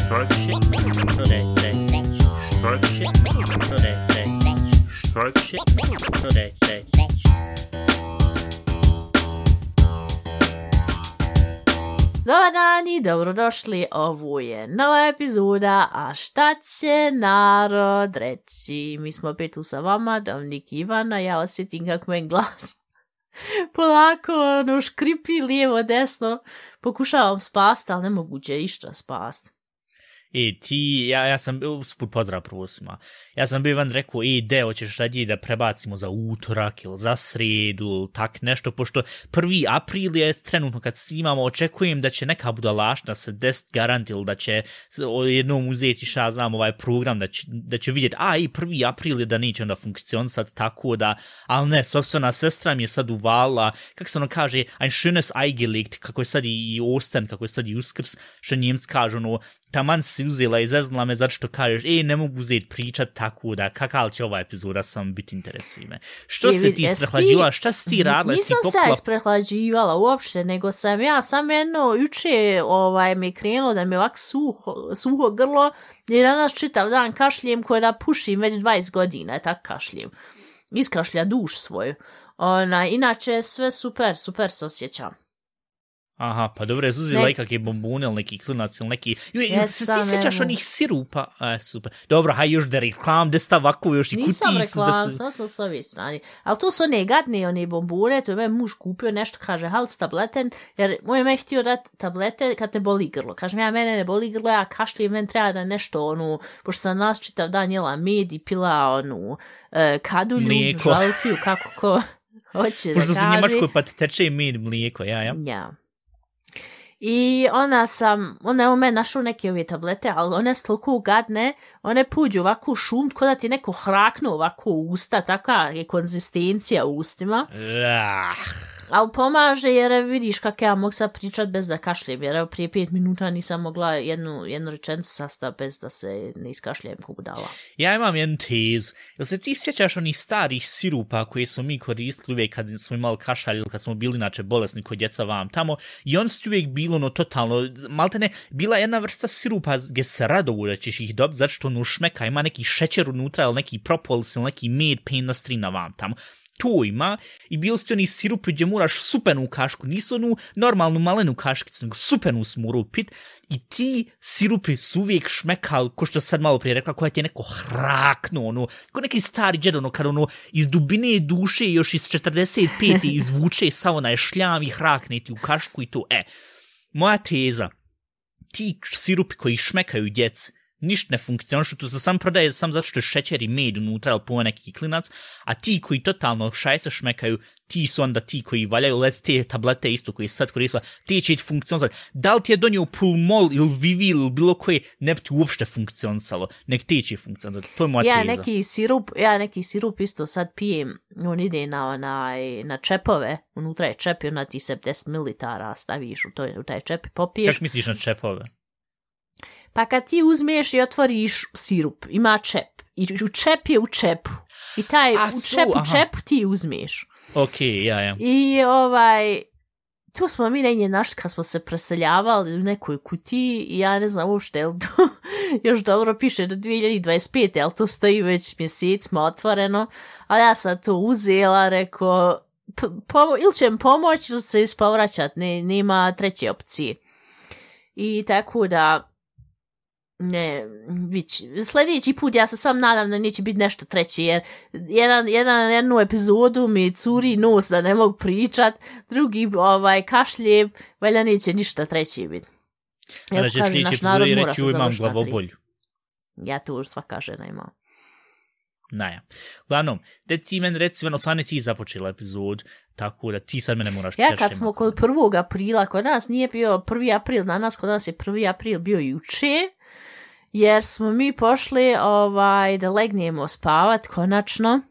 Dobar dan i dobrodošli, ovo je nova epizoda, a šta će narod reći? Mi smo opet tu sa vama, Dominik i Ivana, ja osjetim kako moj glas polako škripi lijevo desno, pokušavam spasti, ali nemoguće išta spasti. Ja sam, usput pozdrav prvo svima, ja sam bio Ivan rekao, hoćeš raditi da prebacimo za utorak ili za sredu ili tak nešto, pošto 1. april je trenutno kad snimamo, očekujem da će neka budalašna se desiti garant ili da će jednom uzeti program, da će vidjeti, 1. april je da neće onda funkcionisati tako da, ali ne, sopstvena sestra mi je sad uvala, kako se ono kaže, ein schönes Eigelegt, kako je sad i Osten, kako je sad i Uskrs, što njemc kaže, taman si uzela i zeznula me zato što kažeš, ne mogu uzeti pričat tako da, kakal će ova epizoda sam biti interesuje me. Što se ti isprehlađivala, šta si ti radila? Nisam se isprehlađivala uopšte, nego sam jedno, juče mi je krenulo da mi je ovako suho grlo i danas čitav dan kašljem koje da pušim već 20 godina, tako kašljem. Iskašlja duš svoju. Inače sve super se osjećam. Aha, pa dobro, je uzela ikakve bombune ili neki klinac ili neki... Se ti sjećaš onih sirupa? Super. Dobro, još da reklam, da sta ovako još i kuticu. Nisam reklam, sam s ove strane. Ali to su one gadne, one bombune, to je moj muž kupio nešto, kaže, halc tableten, jer moj me htio dati tablete kad te boli grlo. Kažem, mene ne boli grlo, ja kašljem, meni treba da nešto, pošto sam nas čitav dan jela med i pila, kadulju, žalfiju, kako ko hoće da kaže. Pošto se Njemačkoj pa teče i med mlijeko, ja. I ona je u meni našla neke ove tablete, ali one su toliko gadne, one puđu ovako šum, ko da ti neko hraknu ovako u usta, takva je konzistencija u ustima. Ali pomaže jer vidiš kako ja mogu sad pričat bez da kašljem, jer prije 5 minuta nisam mogla jednu rečenicu sastaviti bez da se ne iskašljem ko budala. Ja imam jednu tezu. Jel se ti sjećaš onih starih sirupa koje smo mi koristili uvijek kad smo imali kašalj ili kad smo bili inače bolesni kod djeca vam tamo i on su uvijek bilo totalno, maltene, bila jedna vrsta sirupa gdje se rado da ćeš ih dobiti zato što šmeka, ima neki šećer unutra ili neki propolis ili neki med penostrina vam tamo. To ima i bili ste oni sirupi gdje moraš supenu kašku, nisu onu normalnu malenu kaškicu, nego supenu smo pit i ti sirupi su uvijek šmekali, ko što sad malo prije rekla, koja ti je neko hraknuo, ko neki stari džed, kad iz dubine duše još iz 45. izvuče sav onaj šljam i hrakne ti u kašku i to, moja teza, ti sirupi koji šmekaju djeci, ništa ne funkcionišu, tu se sam prodaje sam zato što je šećer i med unutra ili po neki klinac, a ti koji totalno se šmekaju, ti su onda ti koji valjaju te tablete isto koji sad koristila, ti će funkcionisati. Da li ti je donio Pulmol ili Vivil ili bilo koje, ne bi ti uopšte funkcionisalo, nek ti će funkcionisati, to je moja teza. Neki sirup isto sad pijem, on ide na čepove, unutra je čep i ona ti 70 ml staviš u taj čep i popiješ. Kako misliš na čepove? Pa kad ti uzmeš i otvoriš sirup, ima čep. I čep je u čepu. I taj čepu ti uzmeš. Ok, ja. I tu smo mi negdje našli kad smo se preseljavali u nekoj kutiji i ja ne znam uopšte, jel to još dobro piše do 2025, jel to stoji već mjesecima otvoreno, ali ja sam to uzela, rekao, ili će mi pomoći ili se ispovraćati, nema treće opcije. I tako da sljedeći put ja se sam nadam da neće biti nešto treće, jer jednu epizodu mi curi nos da ne mogu pričat, drugi kašljem, valjda neće ništa treće biti. Znači sljedeći epizodi reći imam glavobolju. Ja to už svaka žena ima. Naja. Uglavnom, da ti meni reci, stvarno ti započela epizod, tako da ti sad mene moraš Ja kad smo kod 1. aprila, kod nas nije bio 1. april, kod nas je 1. april bio juče, jer smo mi pošli da legnemo spavat konačno.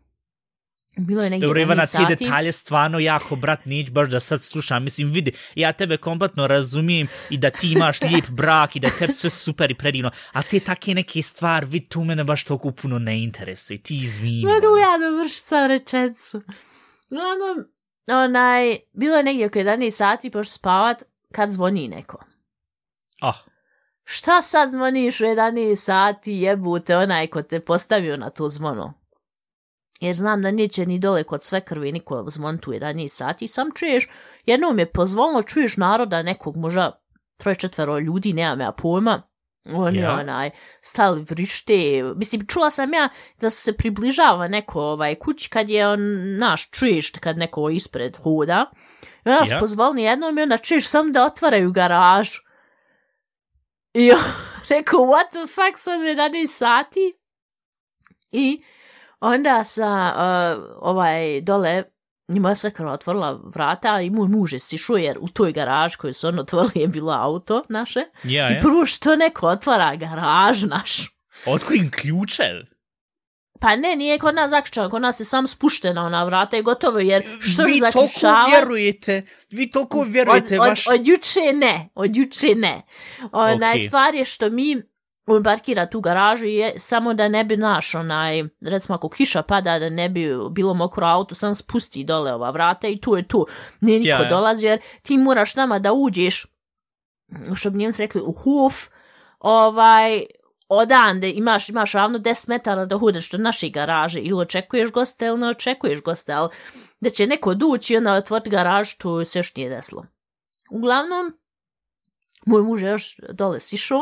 Bilo je negdje Dobro, Ivana, sati. ti detalje stvarno jako, brat, neće baš da sad slušam. Mislim, vidi, ja tebe kompletno razumijem i da ti imaš lijep brak i da tebi sve super i predivno, a te take neke stvari, vidi, tu mene baš toliko puno ne interesuje. Ti izvini. Mogu ja da vrši sad rečenicu. Uglavnom, bilo je negdje oko 11 sati pošli spavat kad zvoni neko. šta sad zvoniš u 11 sati, jebute onaj ko te postavio na to zvono. Jer znam da neće ni dole kod sve krvi niko zvontu 11 sati. Sam čuješ, jednom je pozvolno, čuješ naroda nekog, možda 3-4 ljudi, nemam ja pojma. Oni stali vrište. Mislim, čula sam ja da se približava neko kući kad je čuješ kad neko ispred hoda. I onda se pozvolni jednom i onda čuješ samo da otvaraju garažu. I on rekao, what the fuck, sad 11 sati? I onda sam dole, njima je sve krva otvorila vrata i moj muž je sišao jer u toj garaži koju su otvorili je bilo auto naše. I prvo što neko otvara garažu našu. Otko im ključev? Pa ne, nije kod nas zaključano, kod nas je sam spuštena ona vrata i gotovo jer što je zaključava... Vi toliko vjerujete vaš... Od juče ne. Stvar je što on parkira tu garažu i samo da ne bi recimo ako kiša pada, da ne bi bilo mokro auto, sam spusti dole ova vrata i tu je tu. Nije niko dolazi jer ti moraš nama da uđeš, što bi njemci rekli, u hof, odande imaš ravno 10 metara da hodeš do naše garaže ili očekuješ goste ili ne očekuješ goste, ali da će neko doći i onda otvoriti garažu, to se još nije desilo. Uglavnom, moj muž je još dole sišao,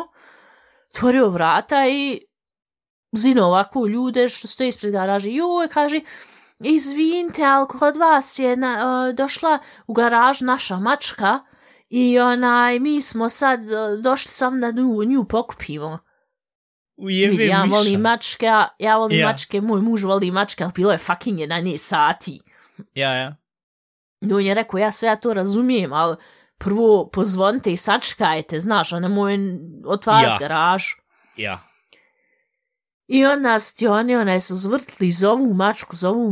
otvorio vrata i zino ovako ljude što stoji ispred garaže. Joj, kaže, izvinite, ali kod vas je došla u garaž naša mačka i mi smo sad došli sam da nju pokupimo. Ja volim mačke, moj muž voli mačke, ali bilo je fucking 11 sati. Ja. I on je rekao, ja sve to razumijem, ali prvo pozvonite i sačkajte, znaš, a nemoj otvarati garažu. Ja. I onda oni se uzvrtili, zovu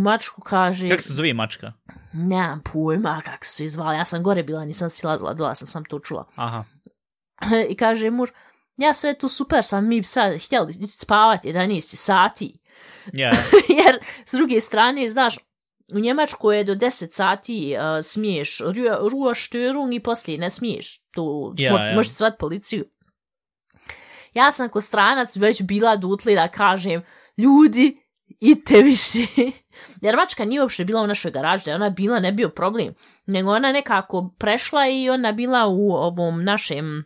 mačku, kaže... Kako se zove mačka? Nemam pojma kako se zvala, ja sam gore bila, nisam silazila, dola sam to čula. Aha. I kaže muž, ja sve tu super sam, mi sad htjeli spavati 11 sati. Yeah. Jer s druge strane, znaš, u Njemačkoj je do 10 sati smiješ ruoštörung i poslije ne smiješ. Tu možeš zvati policiju. Ja sam ko stranac već bila dutli da kažem, ljudi, idite više. Jer mačka nije uopšte bila u našoj garaži, da ona bila ne bio problem. Nego ona nekako prešla i ona bila u ovom našem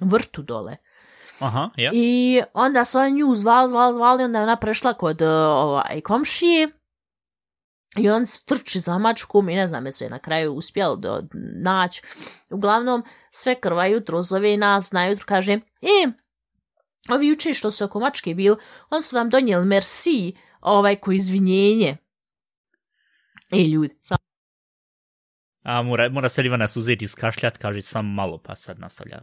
vrtu dole. Aha, ja. I onda su oni nju zvali, onda ona prešla kod komšije i on se trči za mačkom i ne znam, jesu je na kraju uspjeli naći. Uglavnom, sve krva jutro zove nas na jutro, kaže, ovi juče što su oko mačke bili, on su vam donijeli merci, ko izvinjenje. Ljudi, mora sad Ivana se uzeti iskašljati, kaže sam malo, pa sad nastavlja.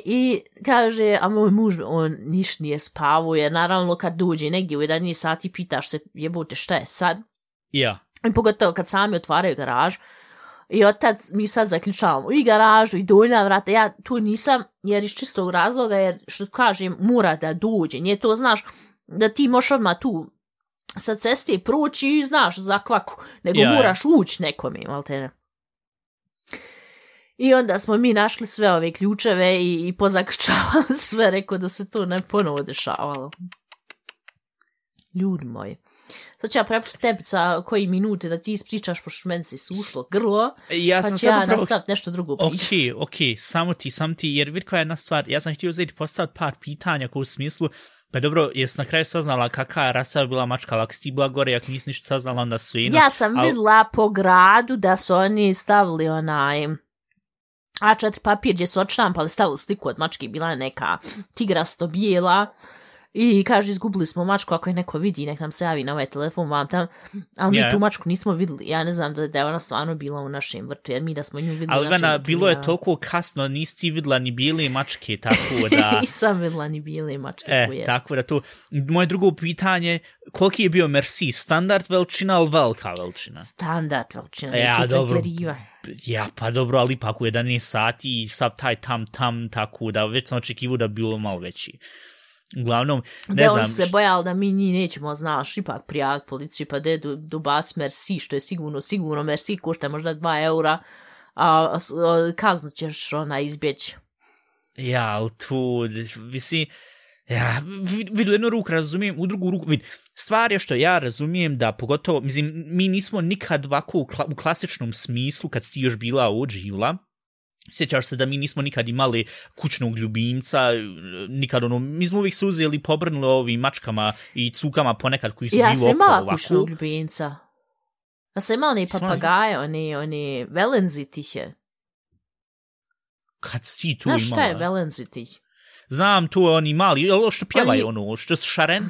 I kaže, a moj muž, on niš nije spavao, jer naravno kad dođe negdje u 11 sati pitaš se, jebote, šta je sad? Ja. I pogotovo kad sami otvaraju garažu. I od tad mi sad zaključavamo i garažu i donja vrata. Ja tu nisam, jer iz čistog razloga, jer što kažem, mora da dođe. Nije to, znaš, da ti možeš odmah tu sa ceste proći i znaš za kvaku, nego moraš ući nekome, maltene. I onda smo mi našli sve ove ključeve i pozaključavali sve, rekao da se to ne ponovo dešavalo. Ljudi moji. Sad ću ja prepustiti tebi za koji minute da ti ispričaš, pošto meni si sušlo grlo, pa ću ja nastaviti nešto drugo pričati. Ok, samo ti, jer vidi koja je jedna stvar, ja sam htio uzeti postaviti par pitanja u smislu, pa dobro, jesi na kraju saznala kakva je rasa bila mačka, ali ako si ti bila gore, ako nisi ništa saznala, onda su ja sam videla po gradu da su oni stavili A4 papir gdje su odštampali, stavili sliku od mačke, bila je neka tigrasto bijela i kaže, izgubili smo mačku, ako je neko vidi, nek nam se javi na ovaj telefon vam tam, ali mi tu mačku nismo vidjeli, ja ne znam da je ona stvarno bila u našem vrtu, jer mi da smo nju vidjeli ali u našem vrtu. Bilo je toliko kasno, nisi ti vidjela ni bijele mačke, tako da... Nisam vidjela ni bijele mačke, tako da to... Moje drugo pitanje, koliki je bio merci, standard veličina ili velika veličina? Standard veličina, neću pretjerivati. Ja, pa dobro, ali ipak u 11 sati i sav taj tam, tako da već sam očekivao da bi bilo malo veći. Uglavnom, ne znam... Da, on se bojali da mi njih nećemo, znaš, ipak prijaviti policiju, pa da je dobac merci, što je sigurno merci, košta možda 2 eura, a kaznu ćeš izbjeći. Ja, ali tu, mislim, ja, vidu, jednu ruku razumijem, u drugu ruku, stvar je što ja razumijem da pogotovo, mislim, mi nismo nikad ovako u klasičnom smislu, kad si još bila ođivla, sjećaš se da mi nismo nikad imali kućnog ljubimca, nikad mi smo uvijek se uzeli pobrnuli ovim mačkama i cukama ponekad koji su bili okolo ovako. Ja sam imala kućnog ljubimca. Ja sam imala ni papagaje, oni velenzitihe. Kad si tu imala? Znaš šta je velenzitih? Znam, tu je oni mali, što pjevaju ono, što su šaren?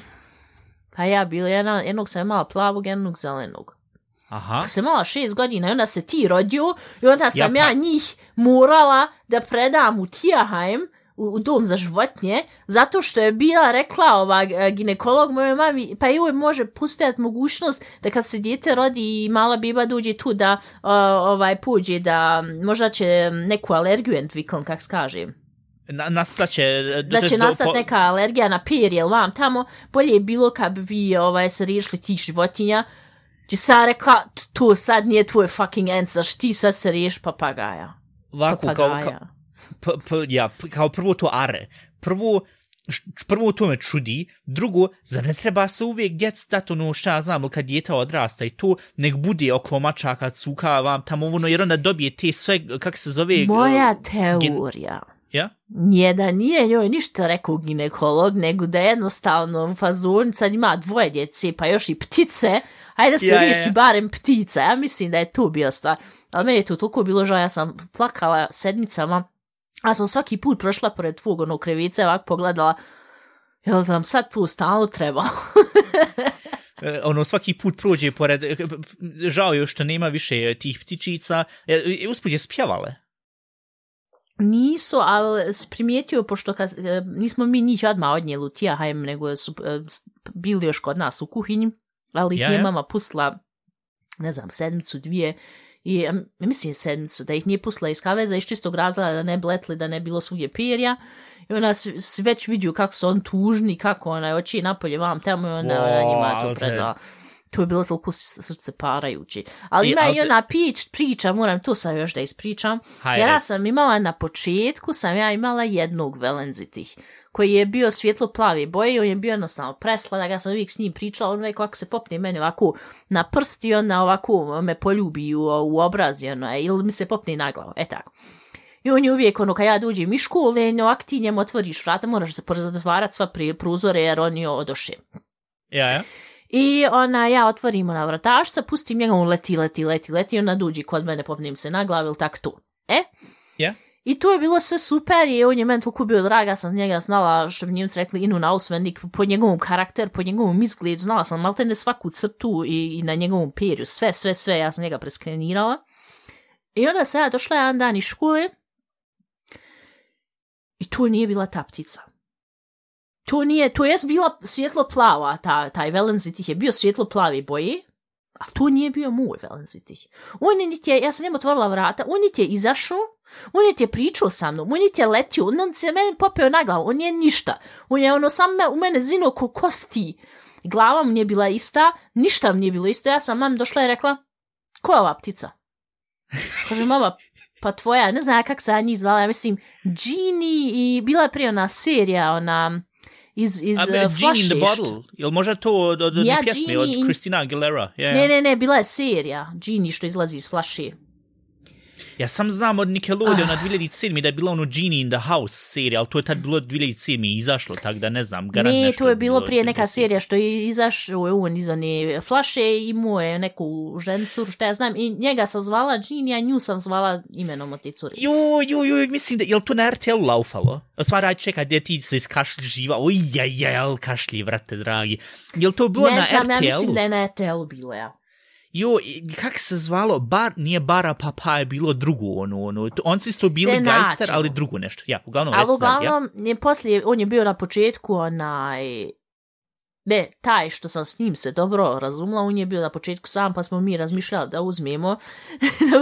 Pa ja bila jednog sam imala plavog, jednog zelenog. Aha. Sam imala 6 godina i onda se ti rodio i onda sam ja njih morala da predam u Tierheim, u dom za životinje, zato što je bila rekla ginekolog mojoj mami, pa joj može postojati mogućnost da kad se dijete rodi i mala biba dođe tu da pođe da možda će neku alergiju entwickeln, kak se kaže. Da će nastati neka alergija na perje, vam tamo, bolje je bilo kad bi vi se riješili tih životinja. Ti sad rekla, to sad nije tvoj fucking answer, ti sad se riješ papagaja. Ovako, kao prvo to are. Prvo to me čudi, drugo, zar ne treba se uvijek djec dati ono šta ja znam, kad djeta odrasta i to, nek bude oko mačaka, cuka, vam tamo ono, jer onda dobije te sve, kak se zove... Moja teorija. Ja? Nije da nije njoj ništa rekao ginekolog, nego da jednostavno u fazonu sad ima 2 djece, pa još i ptice, ajde da se riješi barem ptica. Ja mislim da je tu bio stvar. Ali meni je to toliko bilo žao, ja sam plakala sedmicama, a sam svaki put prošla pored tvog onog krevice, ovako pogledala, jel nam sad tu stalno trebalo? Svaki put prođe pored, žao je što nema više tih ptičica, usput je spjevale. Nisu, ali primijetio, pošto nismo mi njih odmah odnijeli u Tierheim, nego su bili još kod nas u kuhinji, ali ih nije mama pustila, ne znam, 7-2, i mislim 7, da ih nije pustila iz kaveza iz čistog razloga da ne bletli, da ne bilo svugdje perja, i ona se već vidio kako su on tužni, kako ona oči napolje vam tamo i ona njima to predala. To je bilo toliko srce parajući. Ali ima i ona priča, moram to sam još da ispričam. Jer ja sam imala na početku, jednog velenzitih, koji je bio svjetlo plave boje, on je bio jednostavno presladak, ja sam uvijek s njim pričala, on uvijek ovako se popne meni ovako na prst i ona ovako me poljubi u obraz, ili mi se popne na glavu, tako. I on je uvijek, kad ja dođem iz škole, ovak ti njemu otvoriš vrata, moraš se pozatvarati sva prozore jer on je odoše. Ja. I ja otvorim na vratašca, pustim njega, on leti, ona dođi kod mene, popnem se na glavu ili tako to. Yeah. I to je bilo sve super i on je meni toliko bio draga, sam njega znala, što bi Njemci rekli, inu auswendig, po njegovom karakteru, po njegovom izgledu, znala sam maltene svaku crtu i na njegovom perju, sve, ja sam njega preskrenirala. I onda sam ja došla jedan dan iz škole i to nije bila ta ptica. To je bila svjetlo plava, taj velenzitih je bio svjetlo plave boje, a to nije bio moj velenzitih. Ja sam njemu otvorila vrata, on je izašao, on je pričao sa mnom, on je letio, on se meni popeo na glavu, on je ništa. On je sam u mene zino ko kosti. Glava mu nije bila ista, ništa mu nije bilo isto. Ja sam mami došla i rekla, ko je ova ptica? Kaže, mama, pa tvoja, ne znam kako se ja njih zvala, ja mislim, Genie i bila je prije ona serija, iz Genie in the Bottle, jel možda to od pjesme, od Christina Aguilera? Yeah. Ne, bila je serija, Genie što izlazi iz flaše. Ja sam znam od Nickelodeona 2007. da je bila Genie in the House serija, ali to je tad bilo 2007. izašlo, tako da ne znam. Ne, to je bilo prije neka serija što je izašao on iz one flaše i imao je neku žencuru, što ja znam, i njega sam zvala Genie, a nju sam zvala imenom od te cure. Joj, mislim da, je li to na RTL-u laufalo? Stvar, čekaj, gdje ti se iskašli živa, ojjajjaj, kašlji, vrate, dragi. Je li to bilo na RTL-u? Ne znam, ja mislim da je na RTL-u bilo, ja. Kak se zvalo, nije Bara Papa, je bilo drugo, on su isto bili gajster, ali drugo nešto, ja, uglavnom. Ali uglavnom, poslije, on je bio na početku, taj što sam s njim se dobro razumela, on je bio na početku sam, pa smo mi razmišljali da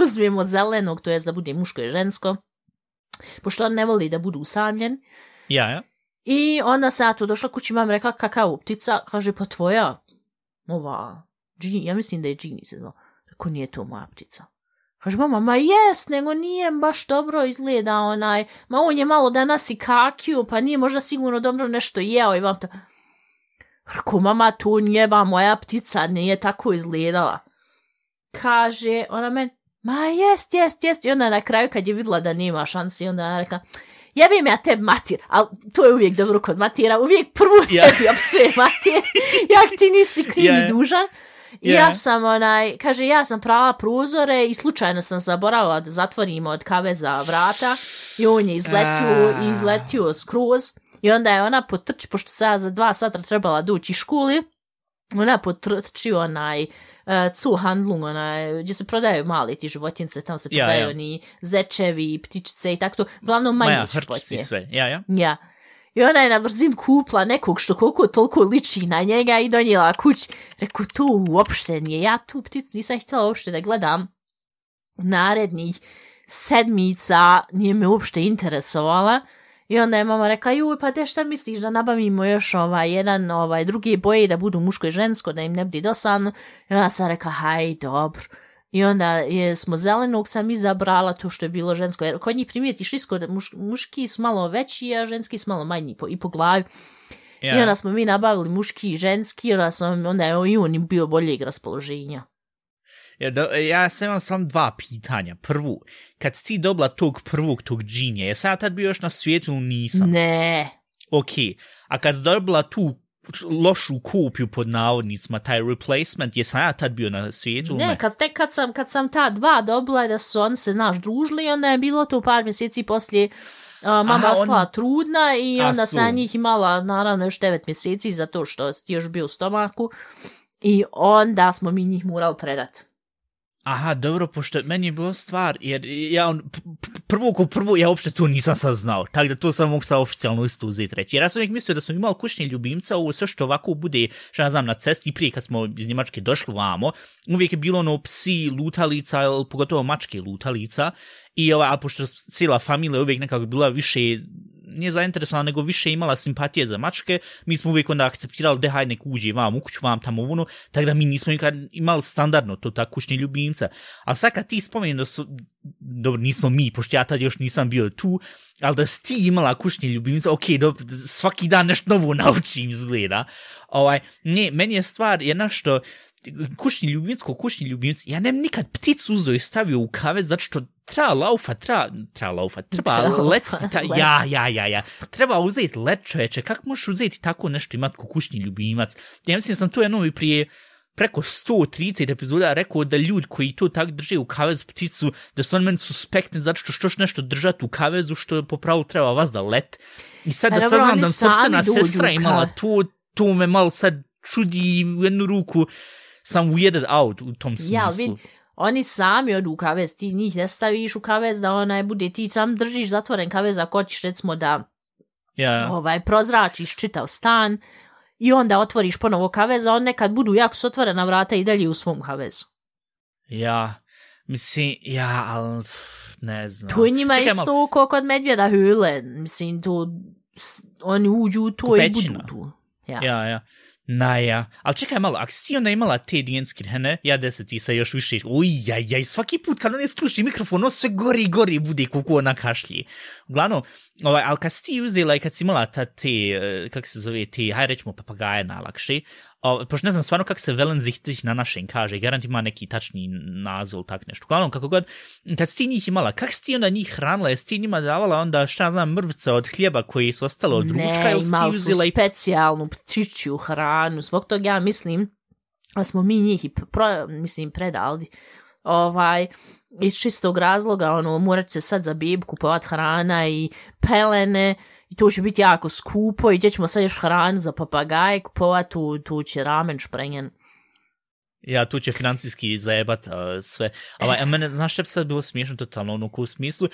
uzmemo zelenog, to jest da bude muško i žensko, pošto on ne voli da budu usamljen. Ja. I onda sam ja tu došla kući, mam rekla, kakav ptica, kaže, pa tvoja, ja mislim da je Genie se znao. Rekao, nije to moja ptica. Kaže mama, ma jest, nego nije baš dobro izgleda ma on je malo danas i kakiju, pa nije možda sigurno dobro nešto jeo i vam to... Rako, mama, to nije moja ptica, nije tako izgledala. Kaže, ona meni, ma jest, i onda na kraju kad je vidjela da nema šansi, onda je rekla, jebim ja tebi matir, ali to je uvijek dobro kod matira, uvijek prvo tebi opsuje matir, jak ti nisi kriv ni dužan. Ja sam kaže, ja sam prala prozore i slučajno sam zaboravila da zatvorimo od kaveza vrata i on je izletio skroz i onda je ona potrči, pošto se ja za 2 sata trebala doći iz školi, ona potrči Zuhandlung, gdje se prodaju mali ti životince, tamo se prodaju ni zečevi, ptičice i tako to, uglavnom manje životinje. Sve, ja. I ona je na brzinu kupla nekog što koliko toliko liči na njega i donijela kući. Reku, to uopšte nije. Ja tu pticu nisam htjela uopšte da gledam. Narednih 7 nije me uopšte interesovala. I onda je mama rekla, pa te šta misliš da nabavimo još druge boje da budu muško i žensko, da im ne bude dosadno. I ona sam rekla, haj, dobro. I onda smo zelenog sam izabrala to što je bilo žensko. Jer kod njih primijetiš isko da muški su malo veći, a ženski su malo manji i po glavi. Yeah. I onda smo mi nabavili muški i ženski, onda je i on bio boljeg raspoloženja. Ja sam imam samo 2 pitanja. Prvu, kad si ti dobila tog džinja, je sad tad bio još na svijetu ili nisam? Ne. Ok, a kad si dobila tu lošu kopiju pod navodnicima, taj replacement, jesam ja tad bio na svijetu? Ne, kad sam ta 2 dobila da su oni se družili, onda je bilo to par mjeseci poslije mama ostala trudna i onda sam njih imala naravno još 9 mjeseci zato što ti još bio u stomaku i onda smo mi njih morali predati. Aha, dobro, pošto meni je bilo stvar, jer ja prvo, ja uopšte to nisam sad znao, tako da to sam mogu sad oficijalno isto uzeti reći. Jer ja sam uvijek mislio da smo imali kućne ljubimca, ovo sve što ovako bude, što ja znam, na cesti, prije kad smo iz Njemačke došli vamo, uvijek je bilo psi lutalica, pogotovo mačke lutalica, a pošto cijela familija uvijek nekako bila više, nije zainteresovana, nego više imala simpatije za mačke, mi smo uvijek onda akceptirali da hajde nek uđe vam u kuću, vam tamo ono, tako da mi nismo nikad imali standardno to tako kućni ljubimca. A sad kad ti spomeni da su, dobro, nismo mi, pošto ja tad još nisam bio tu, ali da si ti imala kućni ljubimca, ok, dobro, svaki dan nešto novo naučim izgleda. Ne, meni je stvar jedna što kućni ljubimci, ja nem nikad pticu uzeo i stavio u kavez, zato što treba uzeti let, čoveče, kako možeš uzeti tako nešto imati ko kućni ljubimac? Ja mislim sam to jednom i prije preko 130 epizoda rekao da ljudi koji to tako drže u kavezu pticu, da su on meni suspektni zato što još nešto držati u kavezu što po pravu treba vas da let. I sad da saznam da sopstvena sestra imala to me malo sad čudi u jednu ruku, sam weirded out u tom smislu. Ja, oni sami odu u kavez, ti njih ne staviš u kavez da bude, ti sam držiš zatvoren kavez ako hoćeš recimo da prozračiš čitav stan i onda otvoriš ponovo kavez, a on nekad budu jako s otvorena vrata i dalje u svom kavezu. Ja, mislim, ali ne znam. To je njima isto kao kod medvjeda höle, mislim, to oni uđu u to Kupećina. I budu tu. Ja. Ali čekaj malo, ako si ti onda imala te dijenske rene, ja ti sa još više, svaki put kad on je skluči mikrofon, on sve gori bude kako ona kašlji. Uglavnom, ali kad si ti uzela i kad si imala te, kako se zove, hajde rećemo papagaje najlakše, pošto ne znam stvarno kako se velenzihtih na našem kaže, garant ima neki tačni naziv, tak nešto. Uglavnom, kako god, kad si ti njih imala, kako si ti onda njih hranila, jesi ti njima davala onda, šta znam, mrvice od hljeba koji su ostalo od ručka, ili si ti uzela i specijalnu ptičju hranu, zbog toga ja mislim, da smo mi njih predali, iz čistog razloga, morat se sad za bebu kupovat hrana i pelene, i to će biti jako skupo i gdje ćemo sad još hranu za papagaje kupovat, tu će ramen šprenjen. Ja, tu će financijski zajebat sve. A mene, znaš što bi sad bilo smiješno totalno, u smislu,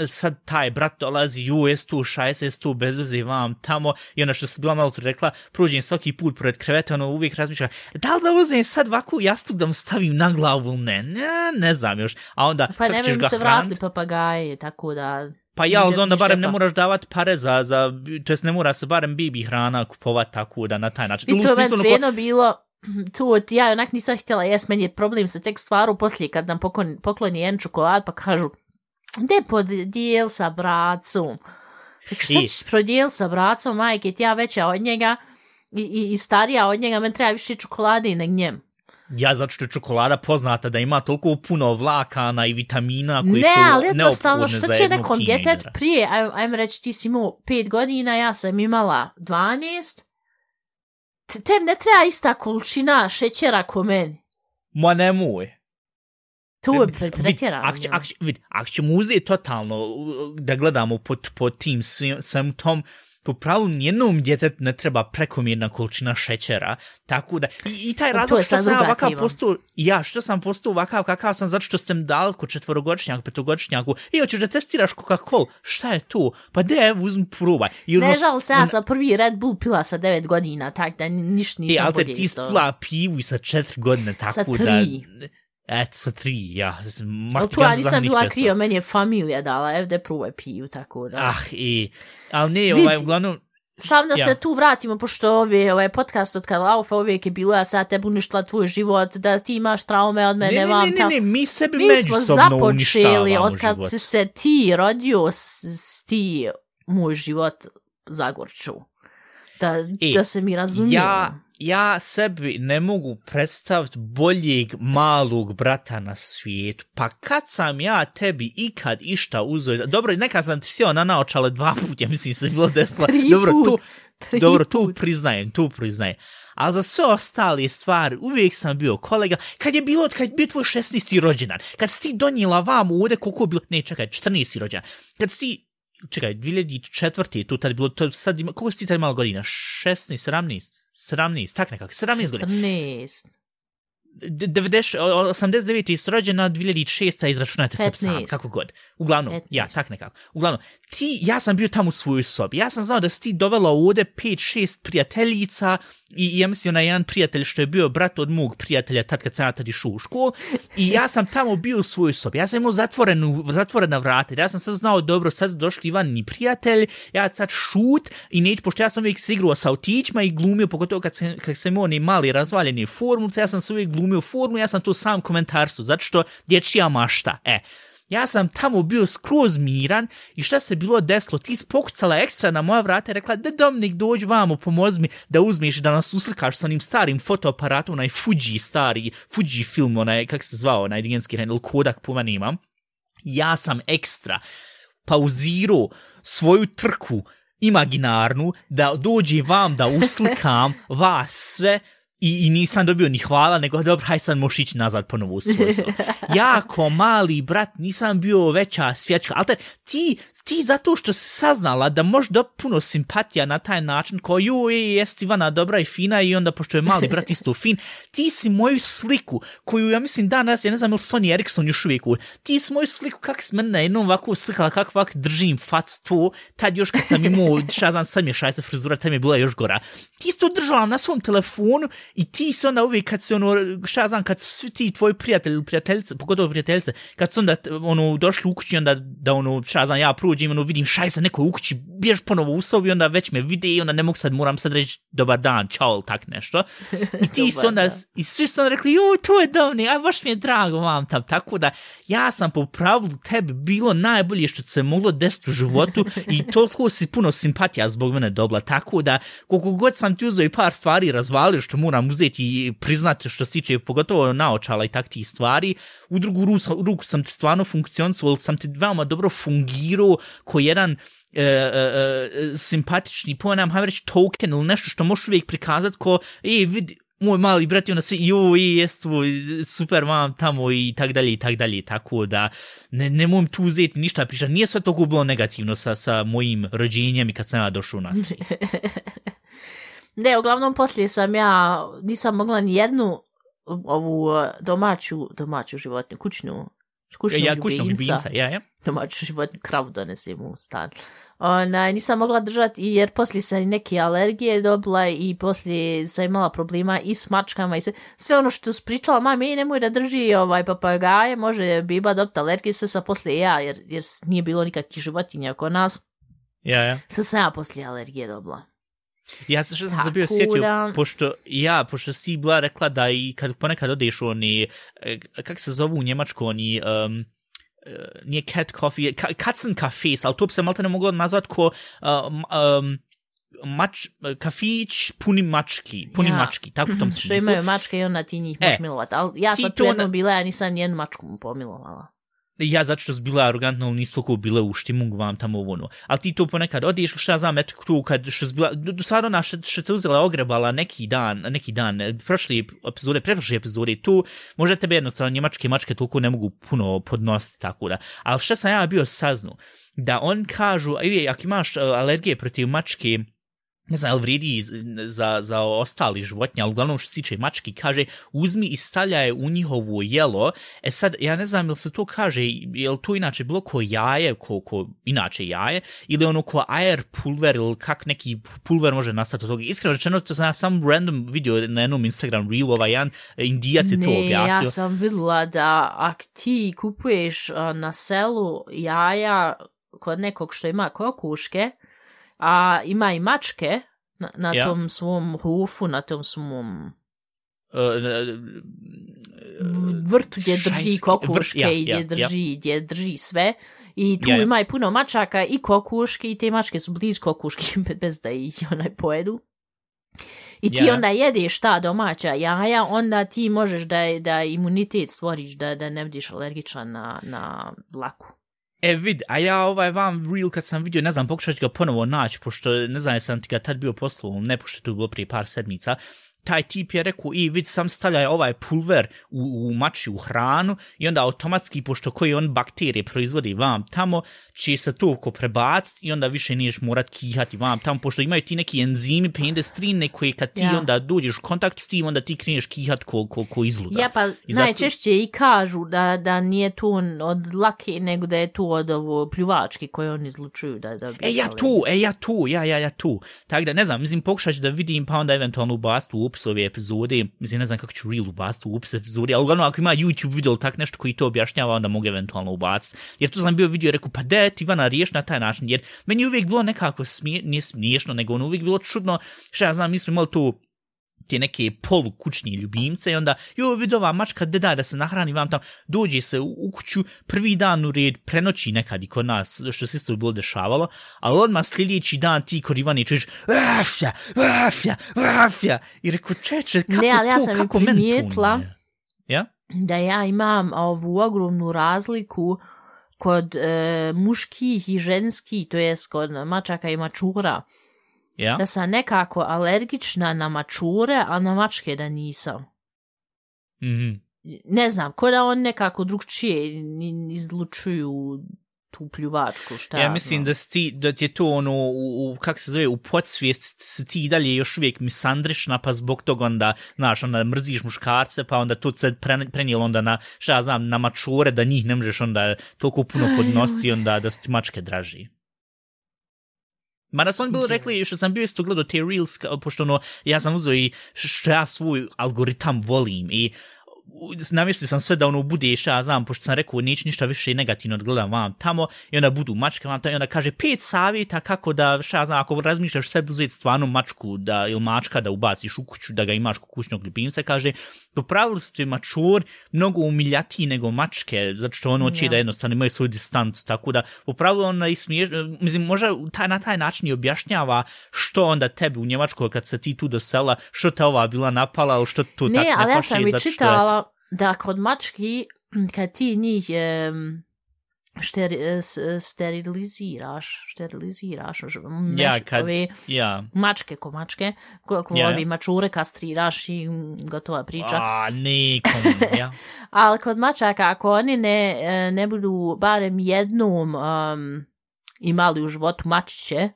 sad taj brat dolazi, jes tu šajse, jes tu bez veze vam tamo, i onda što sam bila malo tu rekla, prođem svaki put pored kreveta, uvijek razmišljam, da li da uzem sad ovakvu jastuk da mu stavim na glavu, ne znam još. A onda, pa ne bi se vratili papagaje, tako da... Pa onda barem ne moraš davati pare to jest ne mora se barem baby hrana kupovat tako da na taj način. I to je svejedno bilo, tu ja onak nisam htjela jest, meni je problem se tek stvaru poslije kad nam pokloni jedan čokolad pa kažu gdje podijel sa bracom. Šta ćeš prodijel sa bracom, majke, ti ja veća od njega i starija od njega, men treba više čokolade nego njem. Ja, zato što je čokolada poznata da ima toliko puno vlakana i vitamina koji su ali jednostavno, neophodne za što će jednog nekom teenagera. djetet prije, ajmo reći, ti si imao 5 godina, ja sam imala 12, tem ne treba ista količina šećera ko meni. Ma nemoj. Tu je pretjerano. Ako ćemo uzeti totalno da gledamo po tim svem tom, po pravilu nijednom djetetu ne treba prekomjerna količina šećera, tako da i taj razlog što sam ovakav postao, što sam postao ovakav kakav sam, zato što sam dal ko 4-godišnjak, 5-godišnjaku, i hoćeš da testiraš Coca-Cola, šta je to? Pa uzmi probaj. Ne žal se, ja sam prvi Red Bull pila sa 9 godina, tak da ništa nisam bolje isto. Ti spila pivu i sa 4 godine, tako sa 3. da... sa 3, ja. Tu ja nisam bila krio, meni je familija dala, evde probaj piju, tako da. Ali ne, uglavnom... Sam da se tu vratimo, pošto ovaj podcast od kad laufa uvijek je bilo, ja sad tebi uništila tvoj život, da ti imaš traume od mene. Ne, mi sebi međusobno uništavamo život. Od kad si se ti rodio, ti moj život zagorču. Da se mi razumijemo. Ja sebi ne mogu predstaviti boljeg malog brata na svijetu. Pa kad sam ja tebi ikad išta uzeo... Dobro, nekad sam ti sjeo na naočale 2 puta, ja mislim se bilo desila. Dobro, tu priznajem. Ali za sve ostale stvari uvijek sam bio kolega. Kad je bio tvoj 16. rođendan, kad si ti donijela vam ovdje koliko je bilo... Ne, čekaj, 14. rođendan. Kad si... Čekaj, 2004. tu tad bilo... To sad koliko si ti tad imala godina? 16, 17, tak nekako, 17 godina. 14. 89. je rođena, 2006. izračunajte se sam, kako god. Uglavnom, 15. Ja, tak nekako. Uglavnom, ja sam bio tamo u svojoj sobi. Ja sam znao da si ti dovela ovdje 5-6 prijateljica i ja mislim na jedan prijatelj što je bio brat od mog prijatelja tad kad sam ja tad išao u školu i ja sam tamo bio u svojoj sobi. Ja sam imao zatvorena vrata. Ja sam sad znao, dobro, sad su došli Ivanini prijatelj, ja sad šut i neću, pošto ja sam uvijek se igrao sa autićima i glumio, pogotovo kad sam imao one mali razvaljene formulce, ja sam se uvijek glumio formu, ja sam to sam komentarsu, zato što dječja mašta. Ja sam tamo bio skroz miran i šta se bilo desilo? Ti si pokucala ekstra na moja vrata i rekla da Dominik dođi vamo, pomozi mi da uzmeš da nas uslikaš sa onim starim fotoaparatom, onaj Fuji film, onaj, kak se zvao, onaj digenski ili Kodak puma nemam. Ja sam ekstra pauzirao svoju trku imaginarnu da dođe vam da uslikam vas sve. I nisam dobio ni hvala, nego dobro, haj sad moš ići nazad ponovo u svoj sob. Ja ko mali brat nisam bio veća svječka, ali ti zato što si saznala da možeš dobiti puno simpatija na taj način, kao jest Ivana dobra i fina i onda pošto je mali brat isto fin, ti si moju sliku, koju ja mislim danas, ja ne znam ili Sony Ericsson još uvijek, ti si moju sliku kak si mene na jednom ovako slikala, kak ovak držim fac to, tad još kad sam imao, sad mi je šajsa frizura, tad mi je bila još gora. Ti si to držala na svom telefonu i ti se onda uvijek kad se kad su svi ti tvoji prijatelji ili prijateljice, pogotovo prijateljice, kad su onda došli u kući onda da ja prođem vidim šajsa neko u kući, biješ ponovo u sobi onda već me vide i onda ne mogu moram sad reći dobar dan, čao ili tak nešto. I ti se onda, i svi su onda rekli, to je Dominik, baš mi je drago vam tam, tako da ja sam po pravilu tebi bilo najbolje što se moglo desiti u životu i toliko si puno simpatija zbog mene dobila, tako da koliko god sam ti uzeo i par stvari razvalio što moram uzeti i priznati što se tiče pogotovo naočala i takvih stvari, u drugu ruku sam ti stvarno funkcionisao, ali sam ti veoma dobro fungirao ko jedan simpatični, ponam, hajmo reći token ili nešto što možeš uvijek prikazati ko, vidi, moj mali brat i onda svi, jest super vam tamo i tak dalje, tako da ne mogu tu uzeti ništa pričati. Nije sve toliko bilo negativno sa mojim rođenjem i kad sam ja došao na svijet. Ne, uglavnom poslije nisam mogla ni jednu ovu domaću životinju, kućnog ljubimca. Domaću životinju, kravu donesem u stan. Nisam mogla držati jer poslije sam neke alergije dobila i poslije sam imala problema i s mačkama i sve ono što su pričala, mami, nemoj da drži papagaje, može biba dobiti alergije, sve sam poslije jer nije bilo nikakvih životinja oko nas. Sve sam ja poslije alergije dobila. Ja se što sam se bio sjetio, pošto si bila rekla da i kad ponekad odeš oni, kak se zovu u Njemačku, oni, nije cat coffee, Katzenkaffees, ali to bi se malo ne moglo nazvat ko kafić puni mački, tako tom smislu. Što imaju mačke i onda ti njih možeš milovati, ali ja sad tu jednom bila, ja nisam nijednu mačku pomilovala. Ja zato što su bila arrogantna, ali nisu toliko bile u štimungu vam tamo ono. Ali ti to ponekad odiješ, šta znam, eto tu kad što su bila, do sada ona što te uzela ogrebala neki dan, preprošle epizode, tu možda tebe jednostavno njemačke mačke toliko ne mogu puno podnositi, tako da. Ali što sam ja bio saznu, da on kažu, ako imaš alergije protiv mačke, ne znam, ali vrijedi za ostali životinje, ali uglavnom što se tiče mački, kaže, uzmi i stavljaj u njihovo jelo. Sad, ja ne znam, jel se to kaže, jel to inače bilo ko jaje, inače jaje, ili ono ko air pulver, ili kak neki pulver može nastati od toga. Iskreno rečeno, to sam ja sam random video na jednom Instagram reel, jedan Indijac je to objasnio. Ja sam vidjela da ako ti kupuješ na selu jaja kod nekog što ima kokuške, a ima i mačke na tom svom hufu, na tom svom vrtu gdje drži kokuške i gdje drži sve. I tu ima i puno mačaka i kokuške i te mačke su blizu kokuške bez da ih onaj pojedu. I ti onda jedeš ta domaća jaja, onda ti možeš da imunitet stvoriš, da ne budiš alergičan na dlaku. Vid, a ja vam reel kad sam vidio, ne znam, pokušat ću ga ponovo naći, pošto ne znam, sam ti ga tad bio poslao, ne pošto tu bilo prije par sedmica, taj tip je rekao, vid, sam stavljaj ovaj pulver u mačju hranu i onda automatski, pošto koji on bakterije proizvodi vam tamo, će se to oko prebaciti i onda više niješ morat kihati vam tamo, pošto imaju ti neki enzimi pendestrine koji kad ti onda dođeš u kontakt s tim, onda ti kreneš kihat ko izluda. Ja, pa najčešće i kažu da nije to od dlake, nego da je to od ovo pljuvački koje oni izlučuju. Ja tu. Tako da, ne znam, mislim, pokušat ću da vidim, pa onda eventualno ubaciti u opis ove epizode, mislim, ne znam kako ću reel ubaciti u opis epizode, ali uglavnom ako ima YouTube video tak nešto koji to objašnjava, onda mogu eventualno ubaciti. Jer tu sam bio vidio i rekao, pa da ti Ivana riješ na taj način, jer meni uvijek bilo nekako nije smiješno, nego ono uvijek bilo čudno, šta ja znam, mi smo imali tu te neke polukućni ljubimce i onda, vidi ova mačka, da se nahrani vam tam, dođe se u kuću, prvi dan u red, prenoći nekad i kod nas, što se isto bilo dešavalo, ali odmah sljedeći dan ti kod Ivane čuješ afja, i rekao, čeče, kako ne, ali ja sam kako primijetila da ja imam ovu ogromnu razliku kod muških i ženskih, to jest kod mačaka i mačura. Da sam nekako alergična na mačure, a na mačke da nisam. Mm-hmm. Ne znam, ko da on nekako drugčije izlučuju tu pljuvačku, šta. Ja mislim da ti je to ono, kak se zove, u podsvijest ti dalje još uvijek misandrišna, pa zbog toga onda, znaš, onda mrziš muškarce, pa onda to se prenijelo onda na, šta ja znam, na mačure, da njih ne možeš onda toliko puno podnosi, onda da su ti mačke draži. Mada su oni bili rekli, što sam bio isto gledao te reels, pošto ono, ja sam uzeo i što ja svoj algoritam volim i namještio sam sve da ono bude, ja znam, pošto sam rekao neću ništa više negativno odgledam vam tamo i onda budu mačke vam tamo i onda kaže 5 savjeta kako da, ja znam, ako razmišljaš sebi uzeti stvarno mačku ili mačka da ubaciš u kuću, da ga imaš kod kućnog ljubimca, kaže, po pravilu su mačur mnogo umiljatiji nego mačke, zato što ono će da jednostavno imaju svoju distancu, tako da po pravilu ona i mislim, možda na taj način i objašnjava što onda tebi u Njemačkoj kad se ti tu do sela, što te ova bila napala, ili što tu ne, ali ja sam i čitala da kod mački, kad ti njih steriliziraš mačke ko mačke, ovi mačure kastriraš i gotova priča. Ali kod mačaka, ako oni ne budu barem jednom imali u životu mačiće,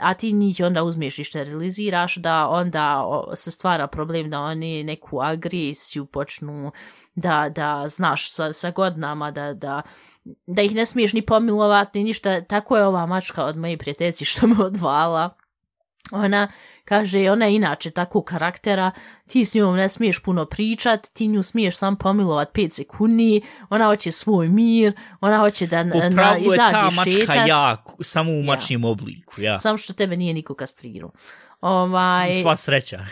a ti njih onda uzmeš i steriliziraš, da onda se stvara problem da oni neku agresiju počnu da znaš sa godinama, da ih ne smiješ ni pomilovati, ni ništa. Tako je ova mačka od moje prijateljice što me odvala. Ona kaže, ona je inače takvog karaktera, ti s njom ne smiješ puno pričat, ti nju smiješ sam pomilovat 5 sekundi, ona hoće svoj mir, ona hoće da izađe šetat. Upravo je ta mačka samo u mačnijem obliku, ja. Samo što tebe nije niko kastrirao. Sva sreća.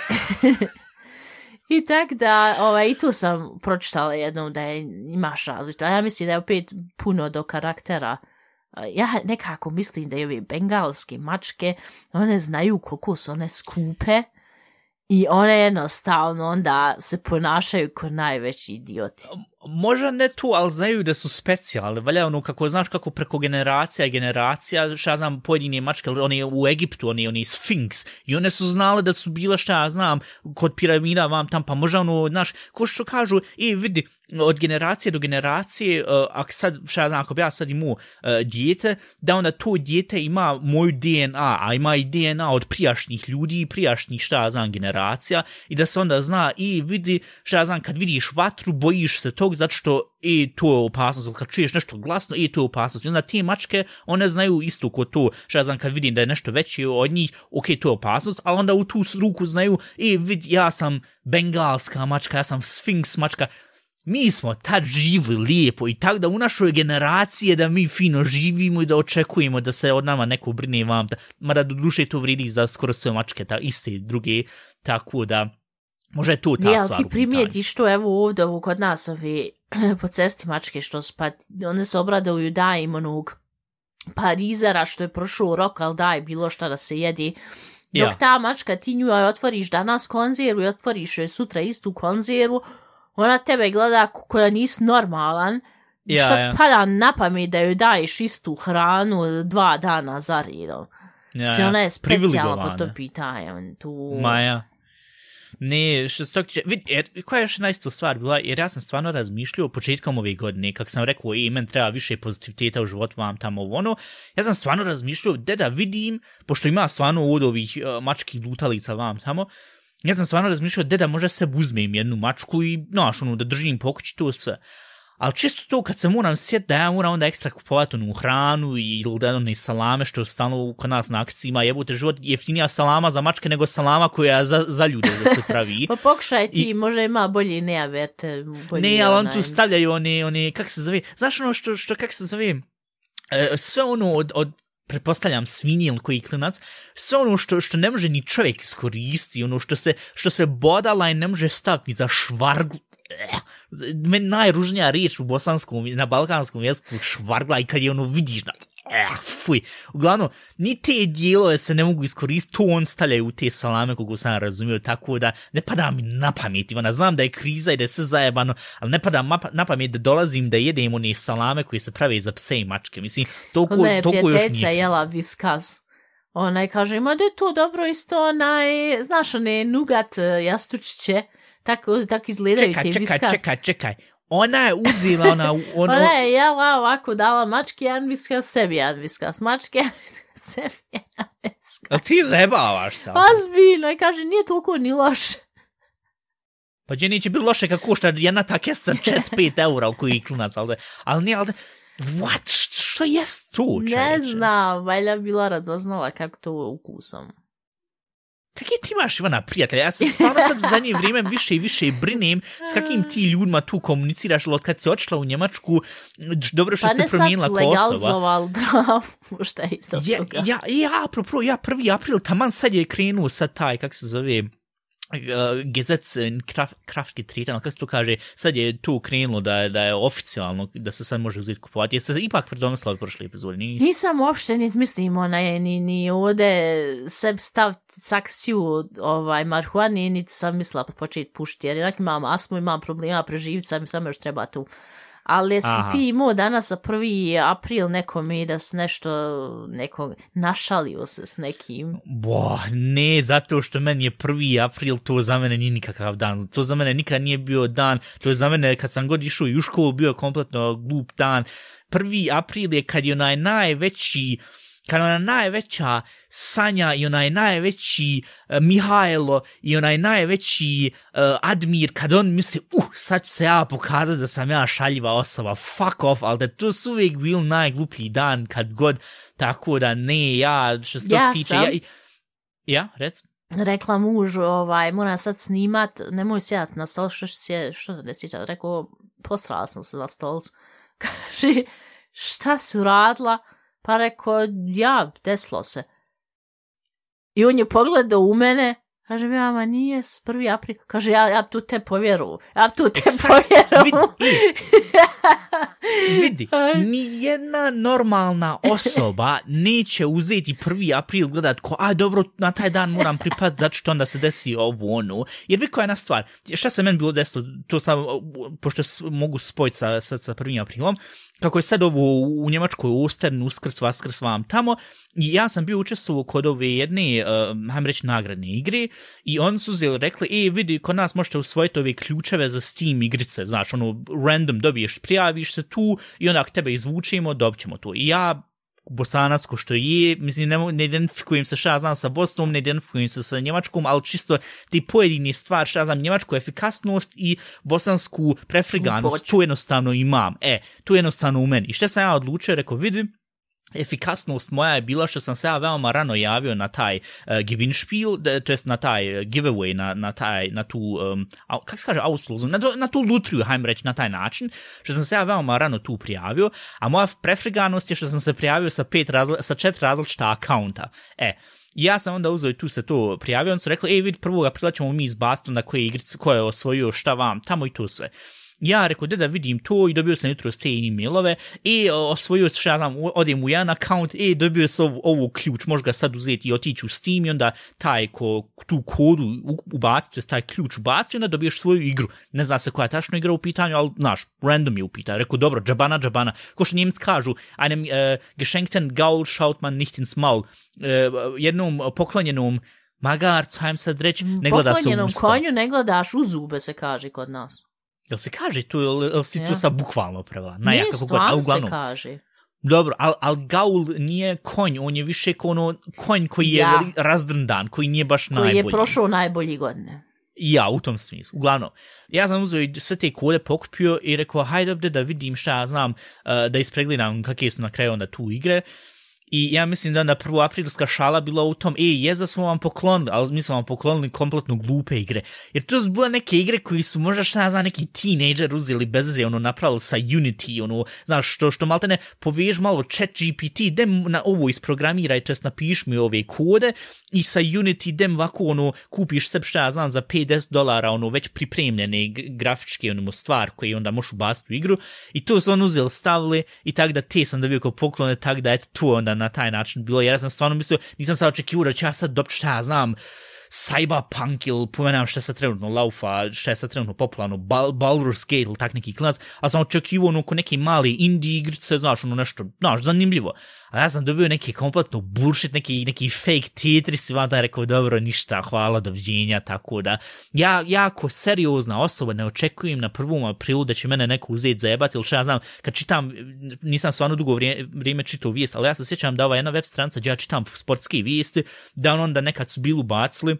I tak da, i tu sam pročitala jednom da imaš različito. Ja mislim da je opet puno do karaktera. Ja nekako mislim da je ove bengalske mačke, one znaju koliko su one skupe i one jednostavno onda se ponašaju kao najveći idioti. Možda ne tu, ali znaju da su specijalne. Valja ono kako, znaš kako preko generacija i generacija, šta ja znam, pojedine mačke, one u Egiptu, one Sfinks, i one su znale da su bile, šta ja znam, kod piramida vam tam, pa možda ono, znaš, ko što kažu, vidi, od generacije do generacije, ako sad, šta ja znam, ako bi ja sad imao dijete, da onda to dijete ima moju DNA, a ima i DNA od prijašnjih ljudi i prijašnjih, šta ja znam, generacija, i da se onda zna, vidi, šta ja znam, kad vidiš vatru, bojiš se tog, zato što to je opasnost, kad čuješ nešto glasno, to je opasnost. I onda te mačke, one znaju isto ko to, šta ja znam, kad vidim da je nešto veće od njih, ok, to je opasnost, ali onda u tu ruku znaju, vidi, ja sam bengalska mačka, ja sam Sfinks mačka. Mi smo tad živili lijepo i tako da u našoj generaciji da mi fino živimo i da očekujemo da se od nama neko brine vam, mada do duše to vridi za skoro sve mačke, iste druge, tako da možda je to ta stvar. Ti primijetiš to, evo ovdje kod nas po cesti mačke što su, pa one se obraduju da im onog parizera što je prošao rok, ali daj bilo šta da se jedi. Dok ta mačka ti nju otvoriš danas konzervu i otvoriš joj sutra istu konzervu, ona tebe gleda koja nisi normalan, što pada na pamet da joj daješ istu hranu 2 dana za redom. Ona je specijalna po to pitanje. Maja. Ne, što se koja je još najstu stvar bila, jer ja sam stvarno razmišljao početkom ove godine, kak sam rekao, men treba više pozitiviteta u životu vam tamo ono, ja sam stvarno razmišljao da vidim, pošto ima stvarno od ovih mačkih lutalica vam tamo, ja sam stvarno razmišljao da možda se uzmem jednu mačku i, da držim po kući to sve. Ali čisto to kad se moram sjetiti da ja moram onda ekstra kupovati onu hranu ili da one salame što stalno kod nas na akciji ima, jebote život, jeftinija salama za mačke nego salama koja za ljude da se pravi. Pa pokušaj ti, možda ima bolji nejavete. Ne, ali on tu stavljaju one, kak se zove, znaš ono što kak se zove, sve ono od pretpostavljam svinje ili koji klinac, sve ono što ne može ni čovjek iskoristiti, ono što se bodala i ne može staviti za švarglu. Meni najružnija riječ u bosanskom, na balkanskom jeziku švargla i kad je ono vidiš fuj. Uglavnom, ni te dijelove se ne mogu iskoristiti, to on stavljaju u te salame kogu sam razumio, tako da ne pada mi na pamet, Ivana, znam da je kriza i da je sve zajebano, ali ne pada na pamet da dolazim da jedem one salame koje se prave za pse i mačke, mislim, toliko još nije. Prijateljica jela viskaz. Onaj kaže, ma da je to dobro isto, znaš, one nugat jastučiće, tako izgledaju te viskaz. Čekaj. Ona je uzela ona je jela ovako, dala mački jedan viskaz, sebi jedan viskaz, mačke sebi jedan viskaz. A ti zajebavaš se? Ozbiljno, i kaže, nije toliko ni loše. Pa gdje neće biti loše kako košta jedna ta kesa 4-5 eura u koji klinac, ali nije, what? Što jest to, čeče? Ne znam, valjda bila radoznala kako to ukusom. Kakve ti imaš, Ivana, prijatelja? Ja sam stvarno sad u zadnje vrijeme više i više brinem s kakvim ti ljudima tu komuniciraš, od kad si otišla u Njemačku, dobro što se promijenila Kosova. Pa ne sad su legalizovali dravu, šta je isto toga. Apropo, 1. april, taman sad je krenuo sad taj, kak se zove, Gesetz Kraftgetreten, kako se to kaže, sad je tu krenulo da je oficijalno, da se sad može uzeti kupovati. Je se ipak predomislila od prošle epizode? Nisam uopšte mislim, ni ovdje sebi staviti sankciju marihuani, niti sam mislila početi pušiti, jer imam astmu, imam problema preživiti, samo još treba tu. Ali jesi ti imao danas za 1. april nekome da se nekog našalio se s nekim? Ne, zato što meni je 1. april, to za mene nije nikakav dan. To za mene nikad nije bio dan. To je za mene, kad sam god išao i u školu, bio kompletno glup dan. 1. april je kad je onaj najveći, kad ona najveća Sanja i onaj najveći Mihajlo i onaj najveći Admir, kad on misli, sad ću se ja pokazati da sam ja šaljiva osoba, fuck off, ali da to su uvijek bil najgluplji dan kad god, tako da ne, ja što se to tiče... Ja, rec? rekla mužu, moram sad snimat, nemoj sjat na stol, što da ne sjeća, rekao, posrala sam se na stolcu. Kaže, šta si uradila? Pa rekao, ja, desilo se. I on je pogledao u mene, kaže, ma nije, 1. april. Kaže, ja tu te povjeru. Vidi, nijedna normalna osoba neće uzeti 1. april gledat dobro, na taj dan moram pripaziti zato što onda se desi ovo ono. Jer vi koja je jedna stvar, šta se meni bilo desilo, to sam, pošto mogu spojiti sa 1. aprilom, kako je sad ovo u Njemačkoj Ostern, Uskrs, Vaskrs vam tamo, i ja sam bio učestvovao kod ove jedne, hajmo reći, nagradne igre, i oni su rekli, vidi, kod nas možete usvojiti ove ključeve za Steam igrice, znaš, random dobiješ, prijaviš se tu i onda ako tebe izvučemo, dobit ćemo to. I ja, bosanacko što je, mislim, ne identifikujem se šta znam sa Bosnom, ne identifikujem se sa Njemačkom, ali čisto ti pojedini stvar, šta znam, njemačku efikasnost i bosansku prefriganost, tu jednostavno imam. Tu jednostavno u meni. I što sam ja odlučio, rekao, vidim, efikasnost moja je bila što sam se ja veoma rano javio na taj Gewinnspiel, to jest na taj giveaway, na tu, kako se kaže, auslozum, na tu lutriju, hajmo reći, na taj način, što sam se ja veoma rano tu prijavio, a moja prefriganost je što sam se prijavio sa 4 različita akaunta. Ja sam onda uzeo i tu se to prijavio, on su rekli, vidi, 1. aprila ćemo mi izbaciti onda ko je osvojio šta vam, tamo i to sve. Ja rekao, da vidim to i dobio sam jutro te e-mailove osvojio se, šta znam, odem u jedan account, dobio sam ovu ključ, možeš ga sad uzeti i otići u Steam i onda taj tu kodu ubaciti, taj ključ ubaciti, onda dobiješ svoju igru. Ne zna se koja je tačno igra u pitanju, ali, znaš, random je u pitanju. Rekao, dobro, džabana. Ko što Njemci kažu, einem geschenkten Gaul schaut man nicht ins Maul. Jednom poklonjenom magarcu, hajem sad reći, ne gleda se u usta. Poklonjenom konju ne gledaš u zube, se kaže kod nas. Jel se kaže to, jel si to sad bukvalno prevela? Nije, stvarno se kaže. Dobro, ali Gaul nije konj, on je više konj koji je razdrndan, koji nije baš najbolji. Koji je prošao najbolji godine. Ja, u tom smislu. Uglavnom, ja sam uzeo i sve te kode pokupio i rekao, hajde da vidim šta ja znam, da ispregledam kakve su na kraju onda tu igre. I ja mislim da onda 1. aprilska šala bila u tom, da smo vam poklonili, ali mi smo vam poklonili kompletno glupe igre. Jer to su bile neke igre koji su možda šta ja znam neki teenager uzeli bez veze, napravili sa Unity, znaš, što malte ne povež malo ChatGPT, idem na ovo isprogramiraj, to jest napiš mi ove kode i sa Unity idem ovako, kupiš sebi šta ja znam za $50, već pripremljene grafičke stvar koje onda možeš ubaciti u igru i to su uzeli, stavili i tako da te sam dobio kao poklone, tako da eto tu onda na taj način bilo, jer ja sam stvarno mislio, nisam sad očekivao da ću ja sad dobiti šta ja znam, Cyberpunk ili pomenam šta je sad trenutno laufa, šta je sad trenutno popularno, Baldur's Gate ili tak neki klinac, ali sam očekivao ko neke mali indie igrice, znaš, nešto, znaš, zanimljivo. A ja sam dobio neki kompletno bullshit, neki fake Tetris i onda rekao, dobro, ništa, hvala, doviđenja, tako da. Ja jako seriozna osoba ne očekujem na 1. aprilu da će mene neko uzeti zajebati, ili šta ja znam, kad čitam, nisam stvarno dugo vrijeme čitao vijest, ali ja se sjećam da ova jedna web stranica gdje ja čitam sportske vijesti, da onda nekad su bili ubacili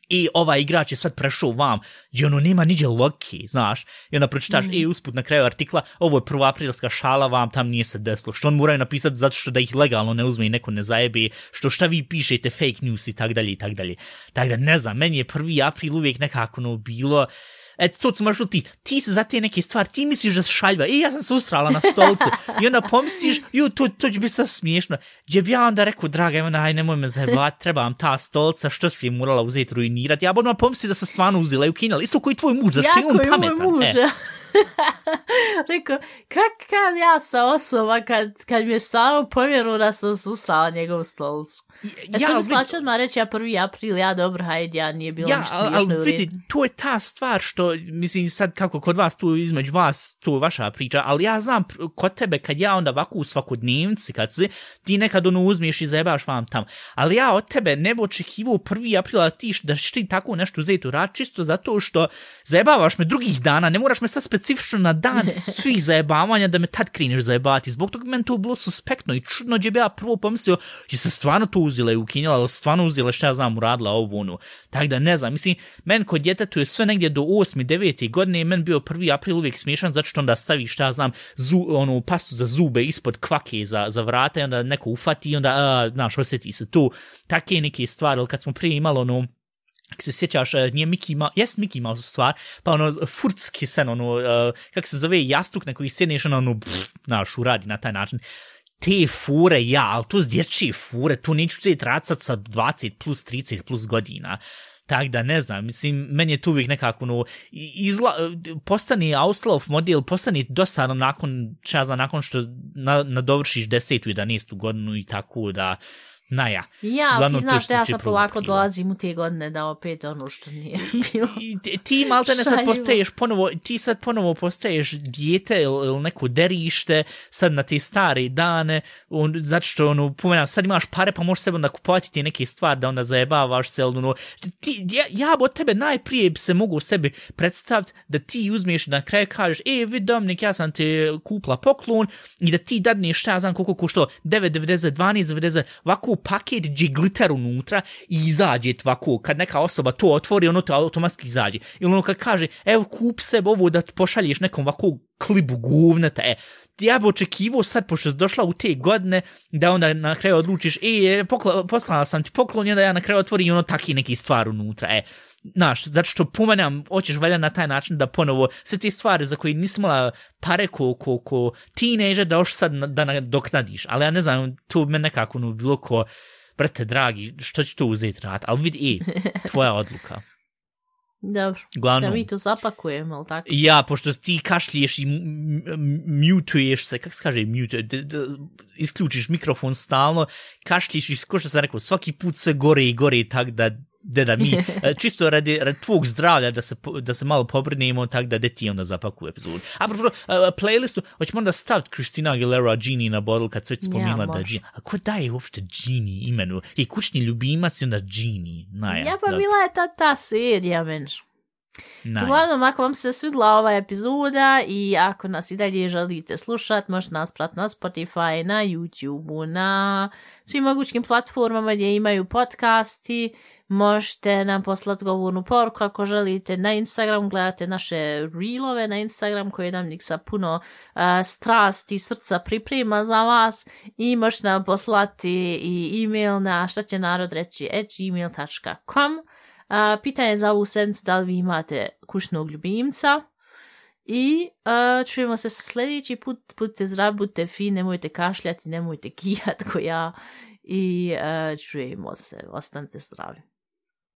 i ovaj igrač je sad prešao vam, gdje nema niđe logike, znaš, i onda pročitaš, usput na kraju artikla, ovo je 1. aprilska šala, vam tam nije se desilo, što on moraju napisati zato što da ih legalno ne uzme i neko ne zajebe, šta vi pišete, fake news i tak dalje i tak dalje. Tako da ne znam, meni je 1. april uvijek nekako bilo, eto, to su možda ti se za te neke stvari, ti misliš da se šaljba, ja sam se usrala na stolcu, i onda pomisliš, to će biti sad smiješno, gdje bi ja onda rekao, draga, aj nemoj me zajebati, treba vam ta stolca, što si je morala uzeti, ruinirati, ja budem pomisliti da se stvarno uzela i ukinala, isto koji tvoj muž, zašto je on pametan. Jako je moj muž, rekao, kad ja sam osoba, kad mi je stvarno povjeru da sam se usrala njegovu stolcu. Ja sam mislila ću odmah reći, 1. april, dobro, hajde, nije bilo ništa smiješno u vidi, to je ta stvar što, mislim, sad kako kod vas, tu između vas, to je vaša priča, ali ja znam kod tebe, kad ja onda ovako u svakodnevnici, kad ti nekad uzmiješ i zajebaš vam tam, ali ja od tebe ne bi očekivao 1. aprila da ćeš ti tako nešto uzeti u rad, čisto zato što zajebavaš me drugih dana, ne moraš me sad specifično na dan svih zajebavanja da me tad kreneš zajebati. Zbog toga meni to bilo suspektno i čudno gdje bi ja prvo pomislio je se stvarno to uzela i ukinjala, ali stvarno uzela šta ja znam uradila ovo ono. Tako da ne znam, mislim, meni kod djetetu je sve negdje do 8. 9. godine meni bio 1. april uvijek smiješan zato što onda stavi šta ja znam pastu za zube ispod kvake za vrata i onda neko ufati i onda, znaš, osjeti se tu. Take neke stvari, ali kad smo prije imali ako se sjećaš, nije Mickey Mouse stvar, pa furtski sen, kako se zove, jastuk na koji sjedneš, znaš, uradi na taj način. Te fure, ali to s dječje fure, to neću racat sa 20 plus 30 plus godina. Tako da ne znam, mislim, meni je tu uvijek nekako, postani Auslauf model, postani dosadno nakon što nadovršiš 10. i 11. godinu i tako da, ja, ali ti znaš da ja sad polako dolazim u te godine da opet ono što nije bilo. Ti maltene sad postaješ ponovo postaješ dijete ili neko derište sad na te stare dane, zato što pomenam, sad imaš pare pa možeš sebe onda kupovati ti neke stvari da onda zajebavaš se, ja od tebe najprije bi se mogu sebi predstaviti da ti uzmeš na kraju kažeš, vidi Dominik, ja sam te kupla poklon i da ti dadneš šta ja znam koliko koštalo 9,90, 12,90, ovako paket gdje glitter unutra i izađe ovako, kad neka osoba to otvori, ono to automatski izađe. Ili kad kaže, evo kup sebe ovo da pošalješ nekom ovako klibu govneta, ja bi očekivao sad, pošto si došla u te godine, da onda na kraju odlučiš, poslala sam ti poklon i onda ja na kraju otvorim ono taki neki stvar unutra, znaš, zato što pomenam, hoćeš valjda na taj način da ponovo sve te stvari za koje nisi imala pare ko teenager da još sad da nadoknadiš, ali ja ne znam, to me nekako bilo ko, brate dragi, što ću to uzeti rad, ali vidi, tvoja odluka. Dobro, Glavno, da mi to zapakujemo, ali tako? Ja, pošto ti kašliješ i mutuješ se, kako se kaže isključiš mikrofon stalno, kašliješ i ko što sam rekao, svaki put sve gore i gore, tak da mi, čisto radi tvog zdravlja da se malo pobrinemo, tak da ti onda zapakuju epizodu. A playlistu, hoćemo onda staviti Christina Aguilera Genie na bodl kad se već spominjala da je Genie. A ko daje uopšte Genie imenu? Kućni ljubimac i onda Genie. Ja pa bila je ta serija, menš. Uglavnom, ako vam se svidla ova epizoda i ako nas i dalje želite slušati, možete nas pratiti na Spotify, na YouTube, na svim mogućim platformama gdje imaju podcasti. Možete nam poslati govornu poruku ako želite na Instagram, gledate naše reelove na Instagram koje Dominik sa puno strasti i srca priprema za vas i možete nam poslati i e-mail na štaćenarodreći@gmail.com. Pitanje za ovu sedmicu, da li vi imate kućnog ljubimca i čujemo se sljedeći put, budite zdravi, budite fini, nemojte kašljati, nemojte kijati ko ja i čujemo se, ostanite zdravi.